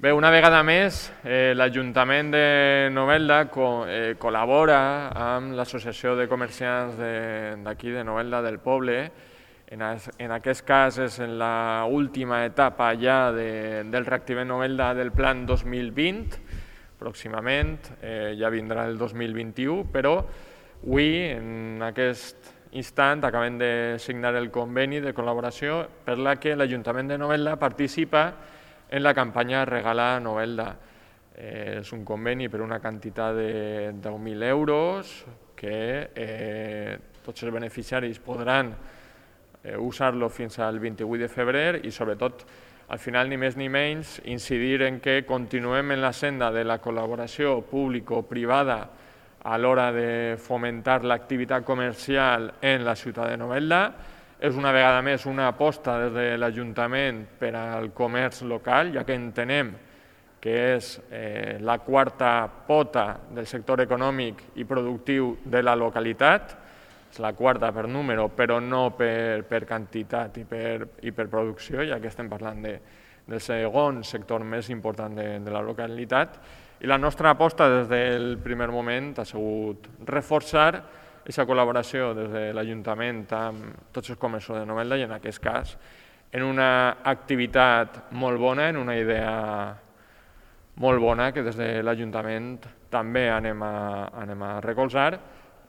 Bé, una vegada més, l'Ajuntament de Novelda col·labora amb l'Associació de Comerciants d'aquí de Novelda, del poble. En aquest cas és en l'última etapa ja del Reactivem Novelda del Plan 2020, pròximament, ja vindrà el 2021, però avui, en aquest instant, acabem de signar el conveni de col·laboració per la que l'Ajuntament de Novelda participa en la campanya Regala Novelda. És un conveni per una quantitat de 10.000 euros que tots els beneficiaris podran usar-lo fins al 28 de febrer i, sobretot, al final, ni més ni menys, incidir en que continuem en la senda de la col·laboració público-privada a l'hora de fomentar l'activitat comercial en la ciutat de Novelda. És una vegada més una aposta des de l'Ajuntament per al comerç local, ja que entenem que és la quarta pota del sector econòmic i productiu de la localitat. És la quarta per número, però no per quantitat i per producció, ja que estem parlant del segon sector més important de la localitat. I la nostra aposta des del primer moment ha sigut reforçar aquesta col·laboració des de l'Ajuntament amb tots els comerços de Novelda i, en aquest cas, en una activitat molt bona, en una idea molt bona que des de l'Ajuntament també anem a recolzar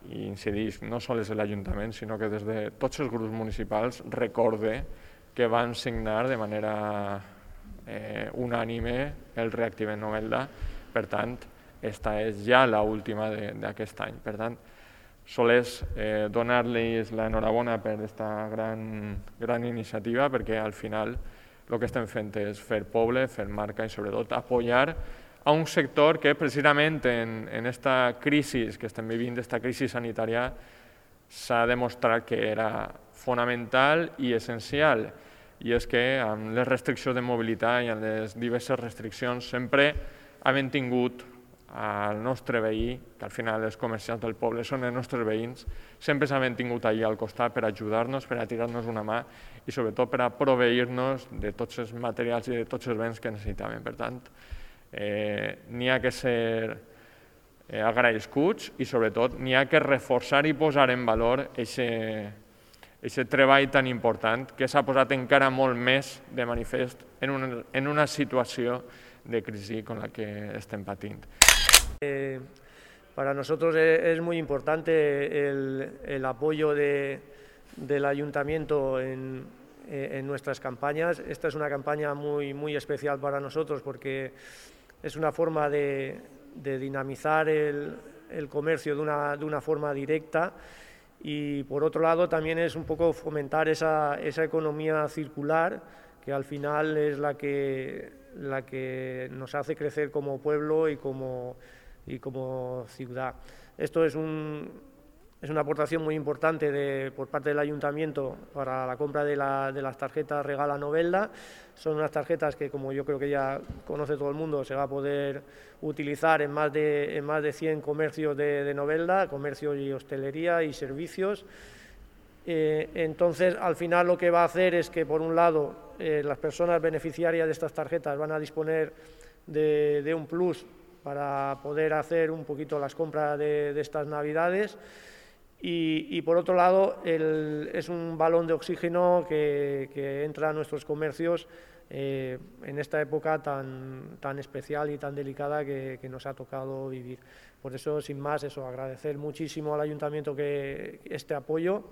i incidís no sols de l'Ajuntament, sinó que des de tots els grups municipals recorde que van signar de manera unànime el Reactivem Novelda. Per tant, aquesta és ja l'última d'aquest any. Per tant, sols donar-los l'enhorabona per aquesta gran iniciativa, perquè al final el que estem fent és fer poble, fer marca i sobretot apoyar a un sector que precisament en aquesta crisi que estem vivint, aquesta crisi sanitària, s'ha demostrat que era fonamental i essencial. I és que amb les restriccions de mobilitat i amb les diverses restriccions sempre hem tingut al nostre veí, que al final els comerciants del poble són els nostres veïns, sempre s'han tingut allà al costat per ajudar-nos, per a tirar-nos una mà i sobretot per a proveir-nos de tots els materials i de tots els béns que necessitàvem. Per tant, n'hi ha que ser agraïscuts i sobretot n'hi ha que reforçar i posar en valor aquest treball tan important que s'ha posat encara molt més de manifest en una situació de crisi com la que estem patint. Para nosotros es muy importante el apoyo del Ayuntamiento en nuestras campañas. Esta es una campaña muy especial para nosotros porque es una forma de dinamizar el comercio de una forma directa y, por otro lado, también es un poco fomentar esa economía circular que al final es la que nos hace crecer como pueblo y como ciudad. Esto es una aportación muy importante por parte del Ayuntamiento para la compra de las tarjetas Regala Novelda. Son unas tarjetas que, como yo creo que ya conoce todo el mundo, se va a poder utilizar en más de 100 comercios de Novelda, comercios y hostelería y servicios. Entonces, al final lo que va a hacer es que, por un lado, las personas beneficiarias de estas tarjetas van a disponer de un plus para poder hacer un poquito las compras de estas Navidades y por otro lado, es un balón de oxígeno que entra a nuestros comercios en esta época tan especial y tan delicada que nos ha tocado vivir. Por eso, sin más, agradecer muchísimo al Ayuntamiento este apoyo.